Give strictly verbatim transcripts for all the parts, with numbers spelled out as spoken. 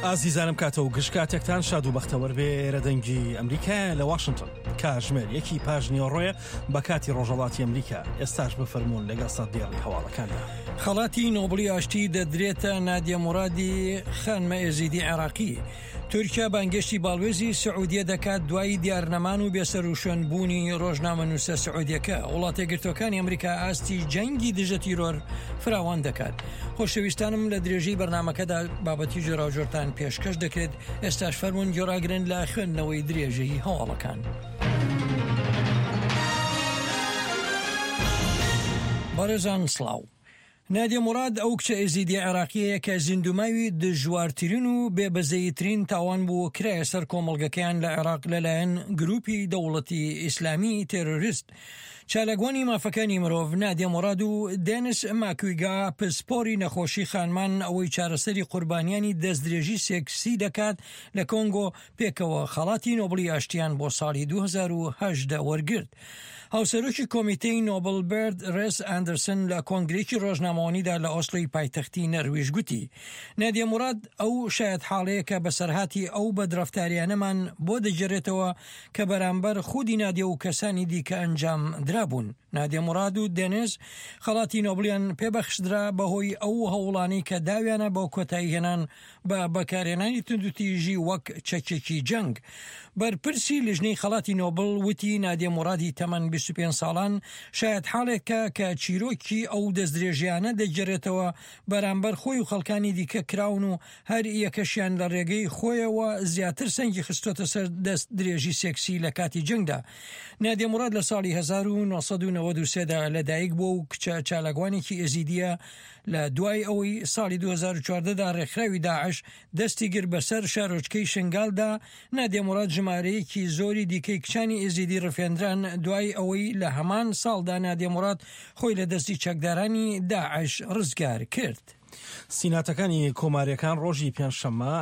ئازیزانم کاتە و گشت کاتێکتان شاد و بەختەوەر بێ. ئێرە دەنگی ئەمریکایە لە واشنگتۆن. کاتژمێر یەکی پاش نیوەڕۆیە بە کاتی ڕۆژهەڵاتی ئەمریکا. ئێستاش بفەرموون لەگەڵ سەردێڕی هەواڵەکاندا. خەڵاتی نۆبڵی ئاشتی دەدرێتە نادیە مورادی خانمە ئێزیدی عێراقی. تورکیا بانگێشتی باڵوێزی سعودیە دەکات دوای دیارنەمان و بێسەروشوێن بوونی ڕۆژنامەنووسە سعودیەکە. وڵاتە یەکگرتووەکانی ئەمریکا ئاستی جەنگی دژە تیرۆر فراوان دەکات. خۆشەویستانم لە درێژەی بەرنامەکەدا بابەتی جۆراوجۆرتان پێشکەش دەکرێت. ئێستاش فەرموون گوێڕاگرن لە خوێندنەوەی درێژەی هەواڵەکان. بەڕێزان سڵاو. نادیە موراد ئەو کچە ئێزیدیە عێراقیەیە کە زیندوماوی دژوارترین و بێبەزەییترین تاوان بوو کرایە سەر کۆمەڵگەکەیان لە عێراق لەلایەن گروپی دەوڵەتی ئیسلامی تێرۆریست. چالاکوانی مافەکانی مرۆڤ نادیە موراد و دێنس ماکویگا پسپۆری نەخۆشی خانمان ئەوەی چارەسەری قوربانیانی دەستدرێژی سێکسی دەکات لە کۆنگۆ پێکەوە خەڵاتی نۆبڵی ئاشتیان بۆ ساڵی دوو هەزار و هەژدە وەرگرت. هاوسەرۆکی کۆمیتەی نۆبڵ بێرد ڕێس ئەندرسن لە کۆنگرێکی ڕۆژنامەوانیدا لە ئۆسلۆی پایتەختی نەرویژ گوتی نادیە موراد ئەو شایەتحاڵەیە کە بەسەرهاتی ئەو بەدڕەفتاریانەمان بۆ دەگێڕێتەوە کە بەرامبەر خودی نادیە و کەسانی دیکە ئەنجام درابوون. نادیە موراد و دێنیز خەڵاتی نۆبڵیان پێبەخشدرا بەهۆی ئەو هەوڵانەی کە داویانە بۆ کۆتایی هێنان بە بەکارهێنانی توندوتیژی وەک چەکێکی جەنگ. بەرپرسی لیژنەی خەڵاتی نۆبڵ وتی نادیە مورادی تەمەن بیست و پێنج ساڵان شایەتحاڵێکە کە چیرۆکی ئەو دەستدرێژیانە دەگێڕێتەوە بەرامبەر خۆی و خەڵکانی دیکە کراون و هەر یەکەشیان لە ڕێگەی خۆیەوە زیاتر سەنگی خستۆتە سەر دەست درێژی سێکسی لە کاتی جەنگدا. نادیە موراد لە ساڵی هەزار و نۆ سەد و نەوەد و سێ دا لەدایک بووە و کچە چالاکوانێکی ئێزیدیە لە دوای ئەوەی ساڵی دوو هەزار و چواردە دا ڕێکخراوی داعش دەستی گرت بەسەر شارۆچکەی شنگالدا. نادیە موراد ژمارەیەکی زۆری دیکەی کچانی ئێزیدی ڕفێندران دوای ئەوەی لە هەمان ساڵدا نادیە موراد خۆی لە دەستی چەکدارانی داعش ڕزگار کرد. سیناتەکانی کۆماریەکان ڕۆژی پێنجشەممە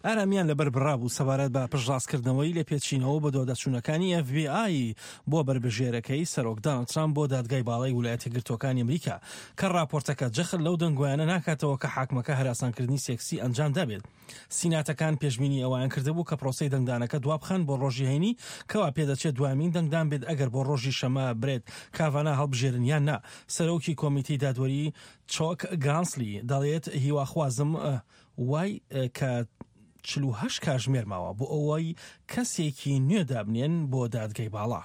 ئارامیان لەبەر بڕابوو سەبارەت بە پشتڕاستکردنەوەی لێپێچینەوە بە دواداچوونەکانی ئێف بی ئای بۆ بەربژێرەکەی سەرۆک داناڵد ترامپ بۆ دادگای باڵای ویلایەتە یەکگرتووەکانی ئەمریکا کە ڕاپۆرتەکە جەخت لەو دەنگۆیانە ناکاتەوە کە حاکمەکە هەراسانکردنی سێکسی ئەنجام دابێت. سیناتەکان پێشبینی ئەویان کردبوو کە پرۆسەی دەنگدانەکە دوابخەن بۆ ڕۆژی هەینی کەوا پێدەچێت دوامین دەنگدان بێت ئەگەر بۆ ڕۆژی شەمە برێت کاڤانا هەڵبژێرن یان نا. سەرۆکی کۆمیتەی دادوەری چۆک گرانسلی دەڵێت هیواخوازم وای کە چل و هەشت کاتژمێر ماوە بۆ ئەوەی کەسێکی نوێ دابنێن بۆ دادگای باڵا.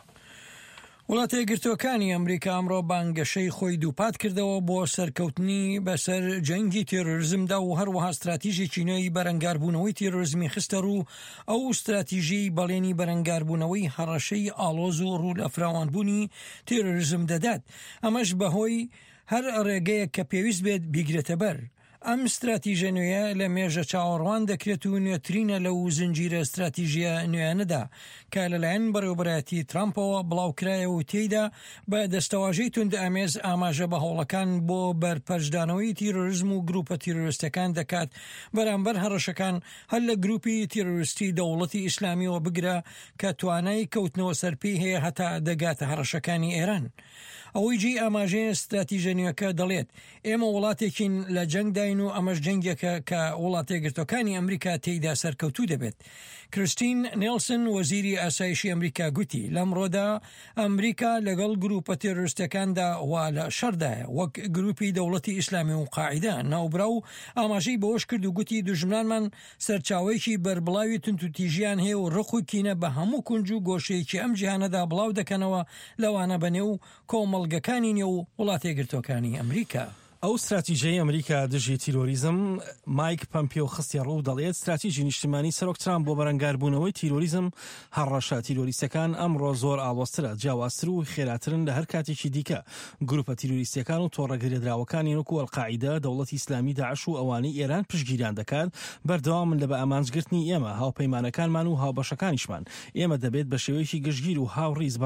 وڵاتە یەکگرتووەکانی ئەمریکا ئەمڕۆ بانگەشەی خۆی دووپات کردەوە بۆ سەرکەوتنی بەسەر جەنگی تێرۆریزمدا و هەروەها ستراتیژێکی نوێی بەرەنگاربوونەوەی تێرۆریزمی خستە ڕوو. ئەو ستراتیژی بەڵێنی بەرەنگاربوونەوەی هەڕەشەی ئاڵۆز و ڕوو لە فراوانبوونی تێرۆریزم دەدات، ئەمەش بەهۆی هەر ڕێگەیەک کە پێویست بێت بیگرێتە بەر. ئەم ستراتیژە نوێیە لە مێژە چاوەڕوان دەکرێت و نوێترینە لەو زنجیرە ستراتیژیە نوێیانەدا کە لەلایەن بەڕێوەبەرایەتی ترامپەوە بڵاوکرایە و تێیدا بە دەستەواژەی توندئامێز ئاماژە بە هەوڵەکان بۆ بەرپەرچدانەوەی تیرۆریزم و گروپە تیرۆریستەکان دەکات بەرامبەر هەڕەشەکان هەر لە گروپی تیرۆریستی دەوڵەتی ئیسلامیەوە بگرە کە توانای کەوتنەوە سەرپێی هەیە هەتا دەگاتە هەڕەشەکانی ئێران. ئەوەی جێی ئاماژەیە ستراتیژە نوێکە دەڵێت ئێمە وڵاتێکین لە جەنگداین و ئەمەش جەنگێکە کە وڵاتە یەکگرتووەکانی ئەمریکا تێیدا سەرکەوتوو دەبێت. کریستین نێلسن وەزیری ئاسایشی ئەمریکا گوتی لەمڕۆدا ئەمریکا لەگەڵ گروپە تێرۆریستەکاندا وا لە شەڕدایە وەک گروپی دەوڵەتی ئیسلامی و قاعیدە. ناوبراو ئاماژەی بەوەش کرد و گوتی دوژمنانمان سەرچاوەیەکی بەربڵاوی توندوتیژیان هەیە و ڕق و کینە بە هەموو کونج و گۆشەیەکی ئەم جیهانەدا بڵاو دەکەنەوە، لەوانە بەنێو کۆمەڵگەکانی نێو وڵاتە یەکگرتووەکانی ئەمریکا. ئەو ستراتیژەی ئەمریکا دژی تیرۆریزم مایک پەمپیۆ خستیە ڕوو دەڵێت ستراتیژی نیشتیمانی سەرۆک ترامپ بۆ بەرەنگاربوونەوەی تیرۆریزم هەڕەشە تیرۆریستەکان ئەمڕۆ زۆر ئاڵۆزترە، جیاوازتر و خێراترن لە هەر کاتێکی دیکە. گروپە تیرۆریستیەکان و تۆڕە گرێدراوەکانی وەکو ئەلقاعیدە، دەوڵەتی ئیسلامی، داعش و ئەوانەی ئێران پشتگیریان دەکات بەردەوامن لە بە ئامانجگرتنی ئێمە، هاوپەیمانەکانمان و هاوبەشەکانیشمان. ئێمە دەبێت بە شێوەیەکی گشتگیر و هاوڕیز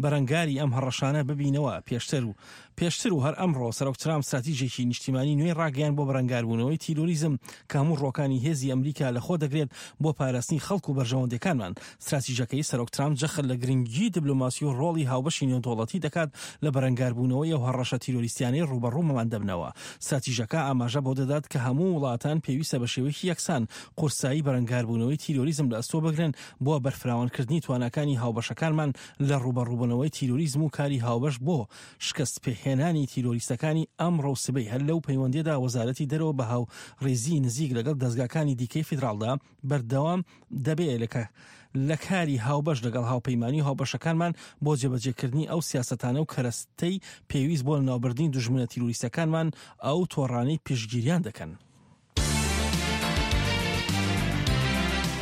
بەرەنگاری ئەم هەڕەشانە ببینەوە. پێشتر و پێشتر و هەر ئەمڕۆ سەرۆک ترامپ ستراتیژێکی نیشتیمانی نوێی ڕاگەیاند بۆ بەرەنگاربوونەوەی تیرۆریزم کە هەموو ڕۆکانی هێزی ئەمریکا لەخۆ دەگرێت بۆ پاراستنی خەڵک و بەرژەوەندیەکانمان. ستراتیژەکەی سەرۆک ترامپ جەخت لە گرنگی دیبلۆماسی و ڕۆڵی هاوبەشی نێودەوڵەتی دەکات لە بەرەنگاربوونەوەی ئەو هەڕەشە تیرۆریستیانەی ڕووبەڕوومان دەبنەوە. ستراتیژەکە ئاماژە بۆ دەدات کە هەموو وڵاتان پێویستە بە شێوەیەکی یەکسان قورسایی بەرەنگاربوونەوەی تیرۆریزم لە ئەستۆ بگرن بۆ بەرفراوانکردنی تواناکانی هاوبەشەکانمان لە ڕووبەڕووبوونەوەی تیرۆریزم و کاری هاوبەش بۆ شکست پێهێنانی تیرۆریستەکانی ئەمڕۆ و سبەی. هەر لەو پەیوەندیدا وەزارەتی دەرەوە بە هاوڕێزی نزیک لەگەڵ دەزگاکانی دیکەی فیدراڵدا بەردەوام دەبێت لە لە کاری هاوبەش لەگەڵ هاوپەیمانی و هاوبەشەکانمان بۆ جێبەجێکردنی ئەو سیاسەتانە و کەرەستەی پێویست بۆ لەناوبردنی دوژمنە تیرۆریستەکانمان ئەو تۆڕانەی پشتگیریان دەکەن.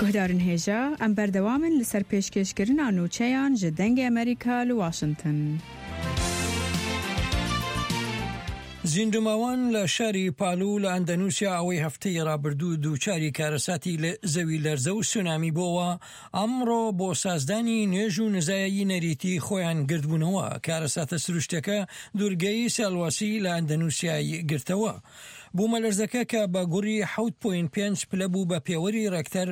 گوهدارن هێژا ئەم بەردەوامن لەسەر پێشکێشکردنا نوچەیان ji دەنگê ئەمریکا li واشنگتن. زیندوماوان لە شاری پالو لە ئەندەنووسیا ئەوەی هەفتەی ڕابردوو دووچاری کارەساتی زەوی لەرزە و سونامی بۆوە، ئەمڕۆ بۆ سازدانی نوێژ و نزایەی نەریتی خۆیان گردبوونەوە. کارەساتە سروشتەکە دوورگەی سەلواسی لە ئەندەنووسیای گرتەوە. بوومەلەرزەکە کە بە گوڕی حەوت پۆینت پێنج پلە بوو بە پێوەری ڕێکتەر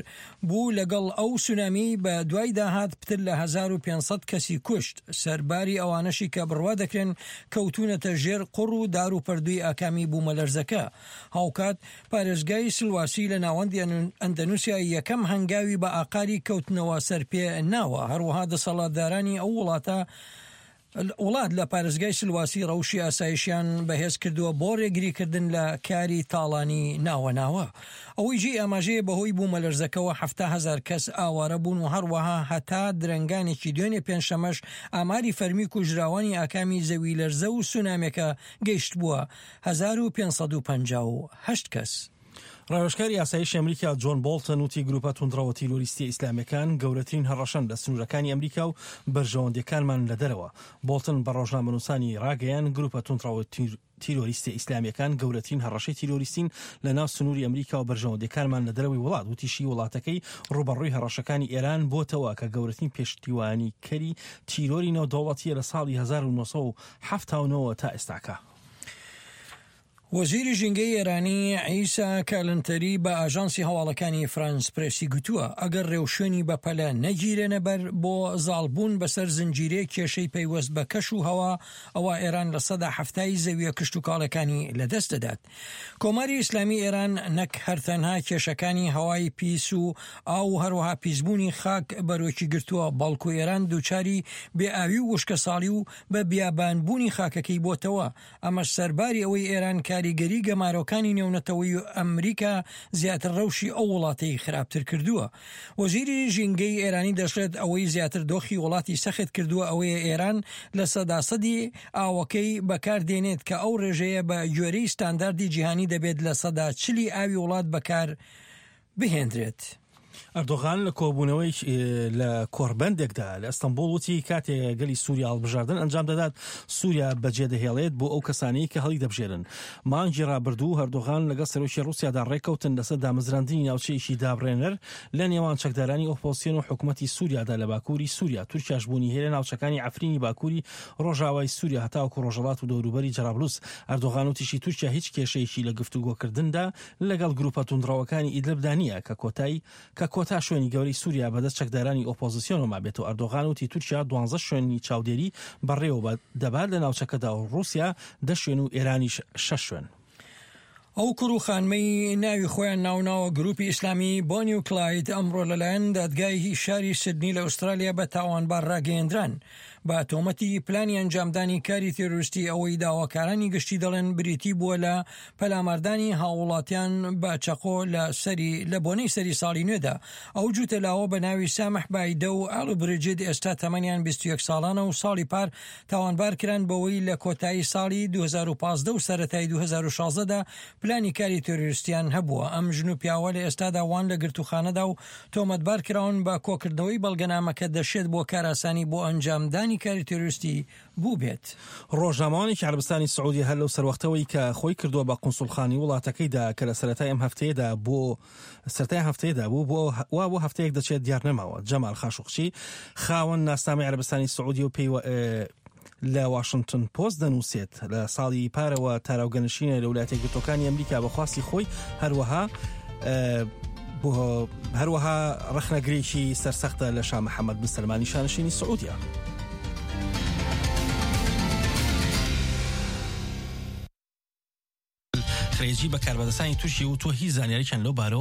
بوو لەگەڵ ئەو سونامی بە دوای داهات پتر لە هەزار و پێنج سەد کەسی کوشت، سەرباری ئەوانەشی کە بڕوا دەکرێن کەوتونەتە ژێر قوڕ و دار و پەردووی ئاکامی بوومەلەرزەکە. هاوکات پارێزگای سلواسی لە ناوەندی ئەندەنووسیا یەکەم هەنگاوی بە ئاقاری کەوتنەوە سەرپێ ناوە. هەروەها دەسەڵاتدارانی ئەو وڵاتە وڵات لە پارێزگای سلواسی ڕەوشی ئاسایشیان بەهێز کردووە بۆ ڕێگریکردن لە کاری تاڵانی ناوە ناوە. ئەوەی جێی ئاماژەیە بەهۆی بوومەلەرزەکەوە حەفتا هەزار کەس ئاوارە بوون و هەروەها هەتا درەنگانێکی دوێنێ پێنجشەمەش ئاماری فەرمی کوژراوانی ئاکامی زەوی لەرزە و سونامێکە گەیشت بووە هەزار و پێنج سەد و پەنجا و هەشت کەس. ڕاوێژکاری ئاسایشی ئەمریکا جۆن بۆڵتن وتی گروپە توندڕەوە تیرۆریستیە ئیسلامیەکان گەورەترین هەڕەشەن لە سنوورەکانی ئەمریکا و بەرژەوەندیەکانمان لە دەرەوە. بۆڵتن بە ڕۆژنامەنووسانی ڕاگەیان گروپە توندڕەوە تیرۆریستە ئیسلامیەکان گەورەترین هەڕەشەی تیرۆریستین لە ناو سنووری ئەمریکا و بەرژەوەندیەکانمان لە دەرەوەی وڵات. وتیشی وڵاتەکەی ڕووبەڕووی هەڕەشەکانی ئێران بۆتەوە کە گەورەترین پشتیوانیکەری تیرۆری نێودەوڵەتیە لە ساڵی هەزار و نۆ سەد و حەفتا و نۆ تا ئێستاکە. وەزیری ژینگەی ئێرانی عیسا کالنتەری بە ئاژانسی هەواڵەکانی فرانس پرێسی گوتووە ئەگەر ڕێوشوێنی بەپەلە نەگیرێنە بەر بۆ زاڵبوون بەسەر زنجیرەی کێشەی پەیوەست بە کەش و هەوا، ئەوە ئێران لە سەدا حەفتای زەویە کشتوکاڵەکانی لەدەست دەدات. کۆماری ئیسلامی ئێران نەک هەر تەنها کێشەکانی هەوای پیس و ئاو و هەروەها پیسبوونی خاک بەرۆکی گرتووە، بەڵکو ئێران دووچاری بێئاوی و وشکەساڵی و بە بیابانبوونی خاکەکەی بۆتەوە. ئەمەش سەرباری ئەوەی ئێران کاریگەری گەمارۆکانی نێونەتەوەی ئەمریکا زیاتر ڕەوشی ئەو وڵاتەی خراپتر کردووە. وەزیری ژینگەی ئێرانی دەشڵێت ئەوەی زیاتر دۆخی وڵاتی سەخت کردووە ئەوەیە ئێران لە سەدا سەدی ئاوەکەی بەکاردێنێت کە ئەو ڕێژەیە بە گوێرەی ستانداردی جیهانی دەبێت لە سەدا چلی ئاوی وڵات بەکار بهێنرێت. ئەردۆغان لە کۆبوونەوەی لە کۆربەندێکدا لە ئەستەنبوڵ وتی کاتێ گەلی سووریا هەڵبژاردن ئەنجام دەدات سووریا بەجێدەهێڵێت بۆ ئەو کەسانەی کە هەڵی دەبژێرن. مانگی ڕابردوو ئەردۆغان لەگەڵ سەرۆکی ڕووسیادا ڕێککەوتن لەسەر دامەزراندنی ناوچەیەکی دابڕێنەر لە نێوان چەکدارانی ئۆپۆزسیۆن و حکوومەتی سووریادا لە باکووری سووریا. تورکیاش بوونی هەیە لە ناوچەکانی عەفرینی باکووری ڕۆژاوای سووریا هەتاوەکو ڕۆژهەڵات و دەوروبەری جەرابلوس. ئەردۆغان وتیشی تورکیا هیچ کێشەیەکی لە گفتوگۆکردندا لەگەڵ گروپە توندڕەوەکانی ئیدلبدا نییە کە کۆتایی کە کۆتا شوێنی گەورەی سووریا بەدەست چەکدارانی ئۆپۆزیسیۆنەوە مابێتەوە. ئەردۆغان وتی تورکیا دوانزە شوێنی چاودێری بەڕێوە دەبات لە ناوچەکەدا و ڕووسیا دە شوێن و ئێرانیش شەش شوێن. ئەو کوڕ و خانمەی ناوی خۆیان ناوناوە گروپی ئیسلامی بۆنی و کلاید ئەمڕۆ لەلایەن دادگای شاری سیدنی لە ئوسترالیا بە تاوانبار ڕاگەیەندران بە تۆمەتی پلانی ئەنجامدانی کاری تێرۆریستی. ئەوەی داواکارانی گشتی دەڵێن بریتی بووە لە پەلاماردانی هاووڵاتیان بە چەقۆ لە سەری لە بۆنەی سەری ساڵی نوێدا. ئەو جووتە لاوە بە ناوی سامح بایدە و ئالو بریجید ئێستا تەمەنیان بیست و یەک ساڵانە و ساڵی پار تاوانبار کران بەوەی لە کۆتایی ساڵی دوو هەزار و پازدە و سەرەتای دوو هەزار و شازدە پلانی کاری تێرۆریستیان هەبووە. ئەم ژن و پیاوە لە ئێستادا وان لە گرتوخانەدا و تۆمەتبار کراون بە کۆکردنەوەی بەڵگەنامەکە دەشێت بۆ کاراسانی بۆ ئەنجامدانی کاری تێرۆریستی بوو بێت. ڕۆژنامەوانێکی عەرەبستانی سعودی هەر لەو سەروەختەوەی کە خۆی کردووە بە قونسوڵخانی وڵاتەکەیدا کە لە سەرەتای ئەم هەفتەیەدا بۆ سەرەتای هەفتەیەدا بوو بۆ وا بۆ هەفتەیەک دەچێت دیار نەماوە. جەمال خاشقچی خاوەن ناسنامەی عەرەبستانی سعودی و پێی لە واشنتن پۆست دەنووسێت لە ساڵی پارەوە تاراوگەنشینە لە وڵاتە یەکگرتووەکانی ئەمریکا بە خواستی خۆی، هەروەها هەروەها ڕەخنەگرێکی سەرسەختە لە شا محەممەد بن سەلمانی شانشینی سعودیا. خرێجی بە کاربەدەستانی تورکیە وتووە هیچ زانیارییان لەو بارەوە